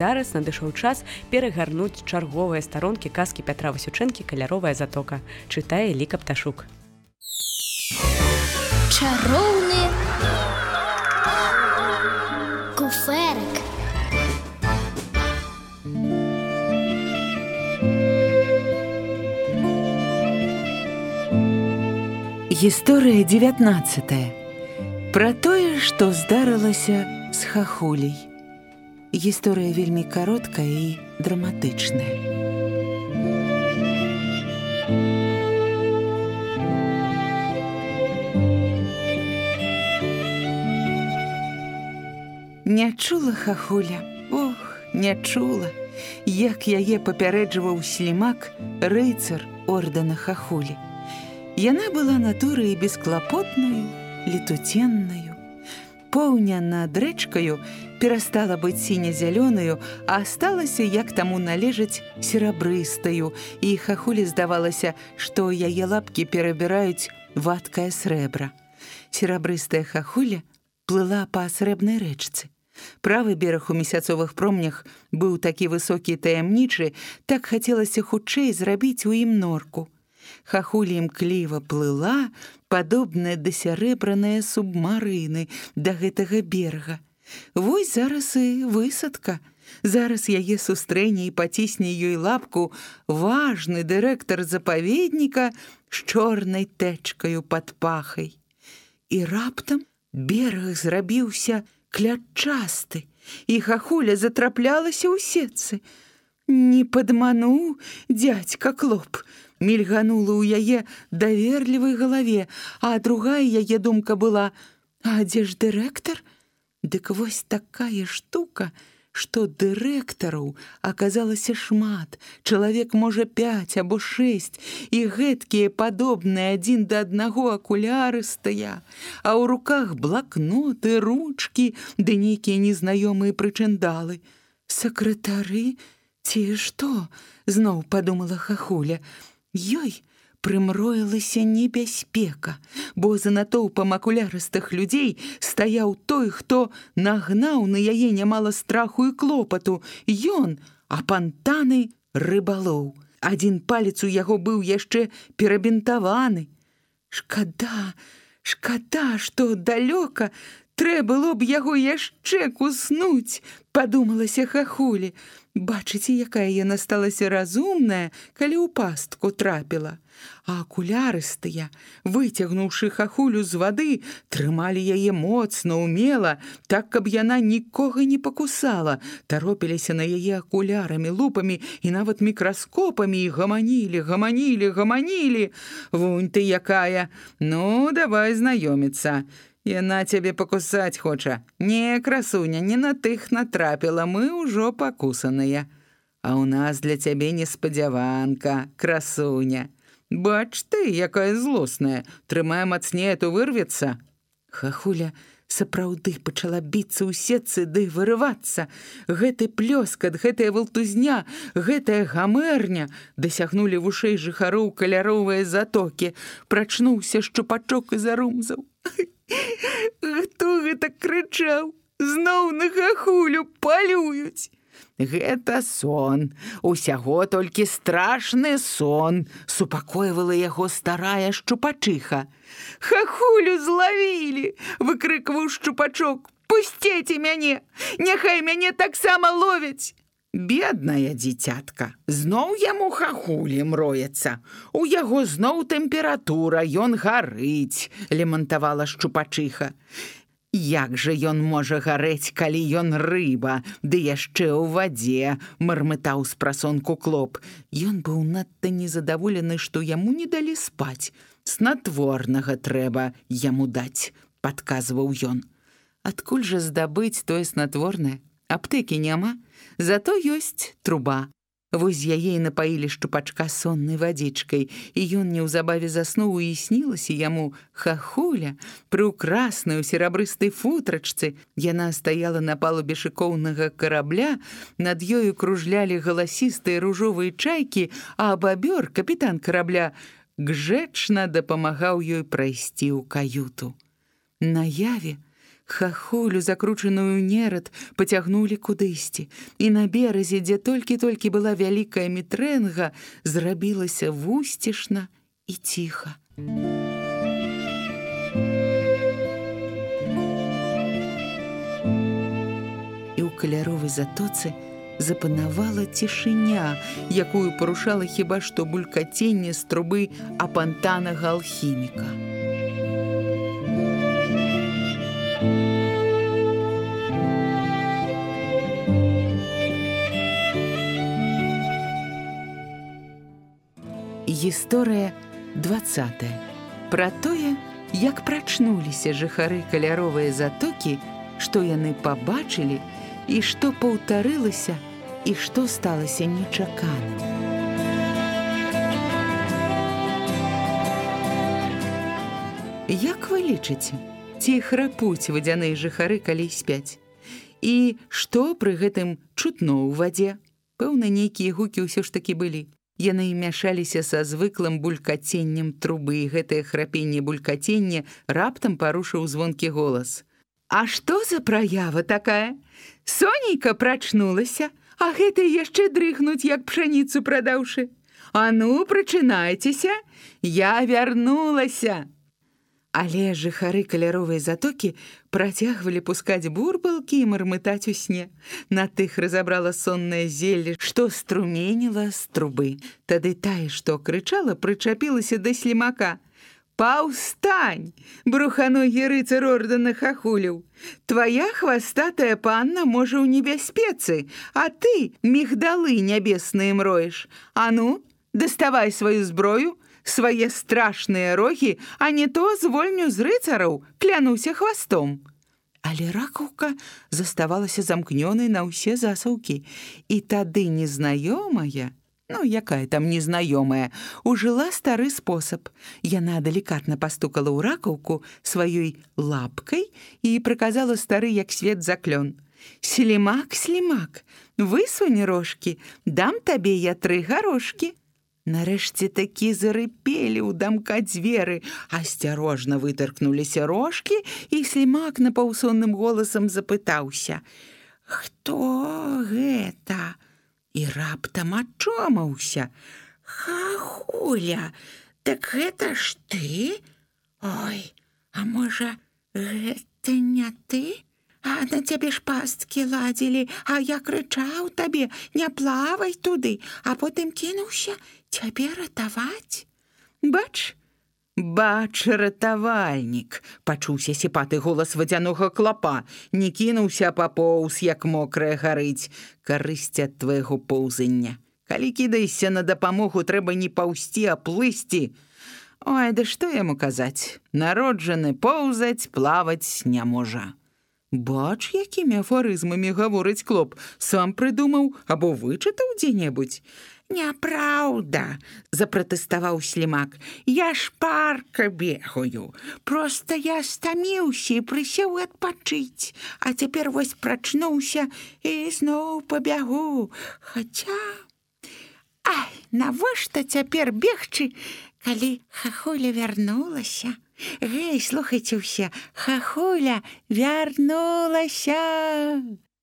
Зараз надышоў час перагарнуць чарговыя старонкі казкі Пятра Васючэнкі «Каляровая затока». Чытае Ліка Пташук. Чароўны куфэрак. Гісторыя 19. Пра тое, што здарылася з хахуляй. Гісторыя вельмі кароткая і драматычная. Не чула хахуля, не чула, як яе папярэджваў слімак, рыцар ордэна хахулі. Яна была натурай бесклапотнаю, летуценнаю. Поўня над рэчкаю перастала быць сіня-зялёнаю, а асталася, як таму належаць, серабрыстаю, і хахулі здавалася, што яе лапкі перабіраюць вадкае срэбра. Серабрыстая хахуля плыла па срэбнай рэчцы. Правы бераг у месяцовых промнях быў такі высокі і таямнічы, так хацелася хутчэй зрабіць у ім норку. Хахуля імкліва плыла, падобная да сярэбраныя субмарыны да гэтага берага. Вось зараз і высадка. Зараз яе сустрэне і пацісне ёй лапку важны дырэктар запаведніка з чорнай тэчкаю пад пахай. І раптам бераг зрабіўся клятчасты, і хахуля затраплялася ў сетцы. Не падмануў дзядзька Клоп. Мільганула ў яе даверлівай галаве, а другая яе думка была: а дзе ж дырэктар? Дык вось такая штука, што дырэктараў аказалася шмат, чалавек, можа, 5 або 6, і гэткія падобныя адзін да аднаго акулярыстыя, а ў руках блакноты, ручкі ды нейкія незнаёмыя прычындалы. Сакратары ці што? Зноў падумала хахуля. Ёй прымроілася небяспека, бо за натоўпам акулярыстых людзей стаяў той, хто нагнаў на яе нямала страху і клопату. Ён апантаны рыбалоў. Адзін палец у яго быў яшчэ перабінтаваны. Шкада, што далёка, трэ было б яго яшчэ куснуць, падумалася хахулі. Бачыце, якая яна сталася разумная, калі ў пастку трапіла. А акулярыстыя, выцягнуўшы хахулю з вады, трымалі яе моцна, умела, так, каб яна нікога не пакусала, таропіліся на яе акулярамі, лупамі і нават мікраскопамі і гаманілі. Вунь ты якая, ну, давай знаёміцца. Яна цябе пакусаць хоча. Не, красуня, не на тых натрапіла, мы ўжо пакусаныя. А ў нас для цябе неспадзяванка, красуня. Бач ты, якая злосная, трымае мацней, а то вырвецца. Хахуля сапраўды пачала біцца ў сетцы ды вырывацца. Гэты плёскат, гэтая валтузня, гэтая гамэрня дасягнулі вушэй жыхароў каляровыя затокі. Прачнуўся шчупачок і зарумзаў. Хто гэта крычаў? Зноў на хахулю палююць. Гэта сон, усяго толькі страшны сон, супакойвала яго старая шчупачыха. Хахулю злавілі, выкрыкваў шчупачок. Пусціце мяне, няхай мяне таксама ловяць. Бедная дзіцятка, зноў яму хахулі мроецца. У яго зноў тэмпература, ён гарыць, лемантавала шчупачыха. Як жа ён можа гарэць, калі ён рыба, ды яшчэ ў вадзе, мармытаў спрасонку Клоп. Ён быў надта незадаволены, што яму не далі спаць. Снатворнага трэба яму даць, падказваў ён. Адкуль жа здабыць тое снатворнае? Аптэкі няма, зато ёсць труба. Вось яе і напаілі шчупачка соннай вадзічкай, і ён неўзабаве заснуў, і снілася яму хахуля прыўкрасная ў серабрыстай футрачцы. Яна стаяла на палубе шыкоўнага карабля, над ёю кружлялі галасістыя ружовыя чайкі, а бабёр, капітан карабля, гжэчна дапамагаў ёй прайсці ў каюту. Наяве Хахулю, закручаную ў нерад, пацягнулі кудысьці, і на беразе, дзе толькі-толькі была вялікая мітрэнга, зрабілася вусцішна і ціха. І ў каляровай затоцы запанавала цішыня, якую парушала хіба што булькаценне з трубы апантанага алхіміка. Гісторыя 20. Пра тое, як прачнуліся жыхары каляровай затокі, што яны пабачылі і што паўтарылася і што сталася нечаканым. Як вы лічыце, ці храпуць вадзяныя жыхары, калі спяць? І што пры гэтым чутно ў вадзе? Пэўна, нейкія гукі ўсё ж такі былі. Яны мяшаліся са звыклым булькаценнем трубы, і гэтае храпенне-булькаценне раптам парушыў звонкі голас. А што за праява такая? Сонейка прачнулася, а гэты яшчэ дрыхнуць, як пшаніцу прадаўшы. А ну, прачынайцеся, я вярнулася. Але жыхары каляровай затокі працягвалі пускаць бурбалкі і мармытаць у сне. На тых разабрала соннае зелле, што струменіла з трубы. Тады тая, што крычала, прычапілася да слімака. «Паўстань, бруханогі рыцар ордэна Хахуляў! Твая хвастатая панна можа ў небяспецы, а ты мігдалы нябесныя мроеш. А ну, даставай сваю зброю, свае страшныя рогі, а не то звольню з рыцараў, клянуся хвастом». Але ракаўка заставалася замкнёнай на ўсе засаўкі, і тады незнаёмая, якая там незнаёмая, ужыла стары спосаб. Яна далікатна пастукала ў ракаўку сваёй лапкай і прыказала стары як свет заклён. «Слімак, слімак, высунь рожкі, дам табе я 3 гарошкі». Нарэшце такі зарыпелі ў дамка дзверы, асцярожна вытаркнуліся рожкі, і слімак напаўсонным голасам запытаўся: «Хто гэта?» І раптам ачомаўся: «Хахуля, так гэта ж ты? Ой, а можа, гэта не ты? А на цябе ж пасткі ладзілі, а я крычаў табе: не плавай туды, а потым кінуўся цябе ратаваць». «Бач, ратавальнік!» — пачуўся сіпаты голас вадзянога клапа. «Не кінуўся папоўз, як мокрая гарыць. Карысць ад твайго поўзання. Калі кідайся на дапамогу, трэба не паўсці, а плысці. Ой, да што яму казаць? Народжаны поўзаць, плаваць не можа». «Бач, якімі афарызмамі гаворыць клоп. Сам прыдумаў або вычытаў дзе-небудзь?» «Няпраўда!» — запратэставаў слімак. «Я шпарка бегаю. Проста я стаміўся і прысеў адпачыць. А цяпер вось прачнуўся і зноў пабягу. Хаця... Ай, навошта цяпер бегчы, калі Хахуля вярнулася? Гэй, слухайце ўсе, Хахуля вярнулася!»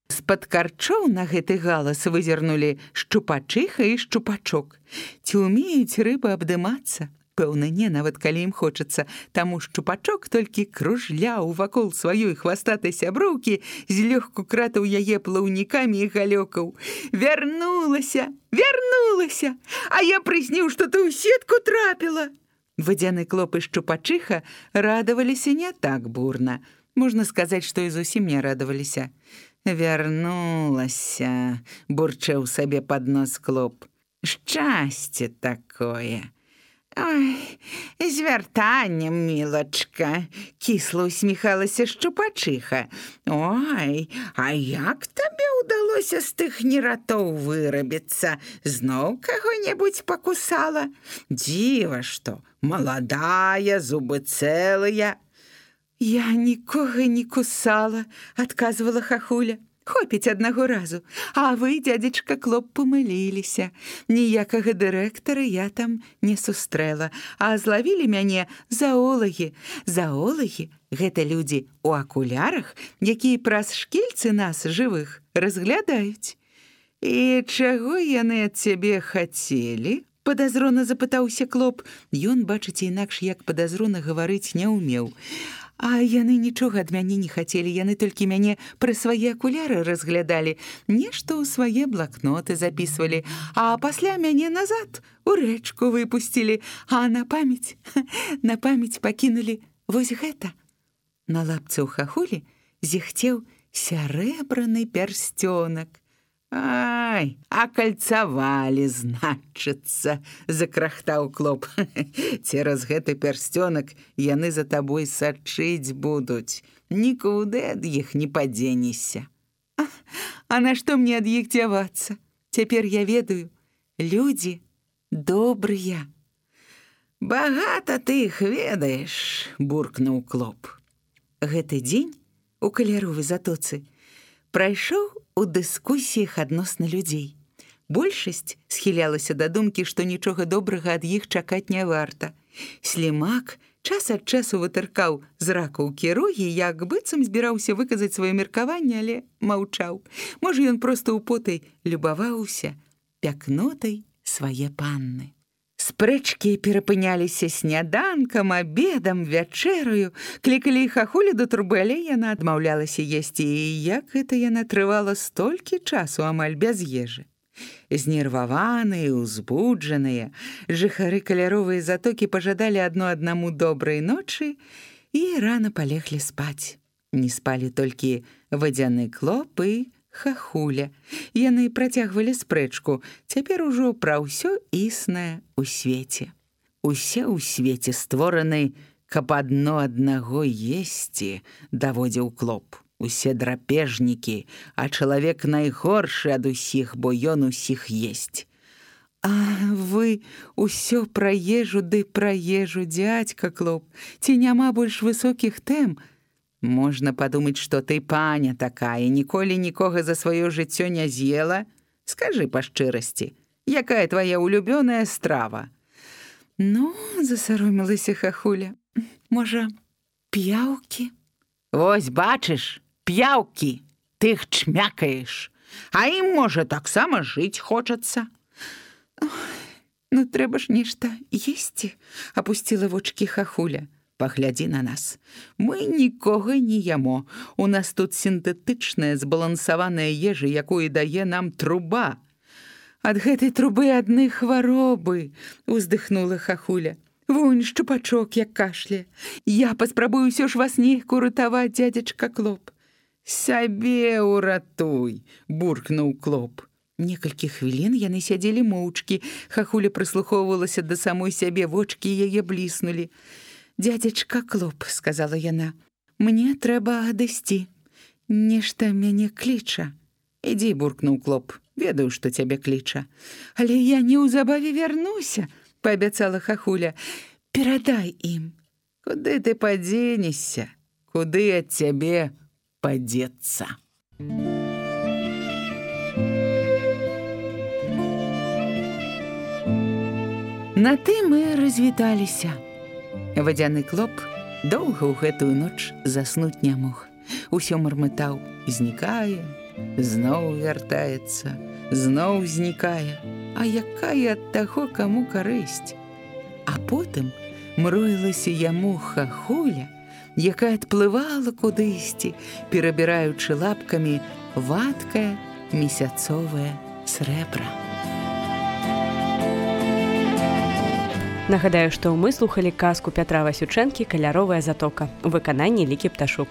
З-пад карчоў на гэты галас вызірнулі шчупачыха і шчупачок. Ці ўмеюць рыбы абдымацца? Пэўна, не, нават калі ім хочацца. Таму шчупачок толькі кружляў вакол сваёй хвастатай сяброўкі, злёгку кратаў яе плаўнікамі і галёкаў. «Вярнулася! Вярнулася! А я прысніў, што ты ў сетку трапіла!» Вадзяны клоп і шчупачыха радаваліся не так бурна. Можна сказаць, што і зусім не радаваліся. «Вярнулася!» — бурчэў сабе пад нос клоп. «Шчасце такое!» «Ой, з вяртаннем, мілачка!» — кісла усміхалася шчупачыха. «Ой, а як табе ўдалося з тых нератоў вырабіцца? Зноў каго-небудзь пакусала? Дзіва што, маладая, зубы цэлыя!» «Я нікога не кусала», — адказвала Хахуля. Хопіць аднаго разу. А вы, дзядзечка Клоп, памыліліся. Ніякага дырэктара я там не сустрэла, а злавілі мяне заолагі. Заолагі — гэта людзі ў акулярах, якія праз шкільцы нас, жывых, разглядаюць. І чаго яны ад цябе хацелі? Падазрона запытаўся Клоп. Ён, бачыце, інакш як падазрона гаварыць не ўмеў. А яны нічога ад мяне не хацелі, яны толькі мяне пры свае акуляры разглядалі, нешта ў свае блакноты запісвалі, а пасля мяне назад у рэчку выпусцілі, а на памяць пакінулі вось гэта. На лапцы ў хахулі зіхцеў сярэбраны пярсцёнак. Ай, акальцавалі, значыцца, закрахтаў Клоп. Цераз гэты пярсцёнак яны за табой сачыць будуць. Нікуды ад іх не падзенешся. А нашто мне ад іх дзявацца? Цяпер я ведаю, людзі добрыя. Багата ты іх ведаеш, буркнуў Клоп. Гэты дзень у каляровай затоцы прайшоў у дыскусіях адносна людзей. Большасць схілялася да думкі, што нічога добрага ад іх чакаць не варта. Слімак час ад часу вытыркаў з ракаўкі рогі, як быццам збіраўся выказаць сваё меркаванне, але маўчаў. Можа, ён проста ўпотай любаваўся пякнотай свае панны. Спрэчкі перапыняліся сняданкам, абедам, вячэраю, клікалі хахулі да трубы, але яна адмаўлялася есці, і як гэта яна трывала столькі часу амаль без ежы. Знерваваныя, узбуджаныя, жыхары каляровай затокі пажадалі адно аднаму добрай ночы і рана палеглі спаць. Не спалі толькі вадзяны Клоп і хахуля. Яны працягвалі спрэчку, цяпер ужо пра ўсё існае ў свеце. Усе ў свеце створаны, каб адно аднаго есці, даводзіў Клоп. Усе драпежнікі, а чалавек найгоршы ад усіх, бо ён усіх есць. А вы ўсё пра ежу ды пра ежу, дзядзька Клоп. Ці няма больш высокіх тэм? Можна падумаць, што ты паня такая, ніколі нікога за сваё жыццё не з'ела. Скажы па шчырасці, якая твая улюбёная страва? Ну, засаромілася хахуля. Можа, п'яўкі? Вось бачыш, п'яўкі, ты іх чмякаеш, а ім, можа, таксама жыць хочацца. Ну, трэба ж нешта есці, апусціла вочкі хахуля. Паглядзі на нас. Мы нікога не ямо. У нас тут сінтэтычная, збалансаваная ежа, якую дае нам труба. Ад гэтай трубы адны хваробы, уздыхнула хахуля. Вунь, шчупачок, як кашля. Я паспрабую ўсё ж вас неяк уратаваць, дзядзечка Клоп. Сябе уратуй, буркнуў Клоп. Некалькі хвілін яны сядзелі моўчкі. Хахуля прыслухоўвалася да самой сябе, вочкі яе бліснулі. «Дядзечка Клоп», — сказала яна, — «мне трэба адысці. Нешта мяне кліча». «Ідзі», — буркнуў Клоп, — «ведаю, што цябе кліча». «Але я неўзабаве вярнуся», — паабяцала хахуля. «Перадай ім». «Куды ты падзенешся? Куды ад цябе падзецца?» На тым мы развіталіся. Вадзяны Клоп доўга ў гэтую ноч заснуць не мог. Усё мармытаў, знікае, зноў вяртаецца, зноў знікае. А якая ад таго, каму карысць? А потым мроілася яму хахуля, якая адплывала кудысьці, перабіраючы лапкамі вадкае месяцовае срэбра. Нагадаю, што мы слухалі казку Пятра Васючэнкі «Каляровая затока» у выкананні Лікі Пташук.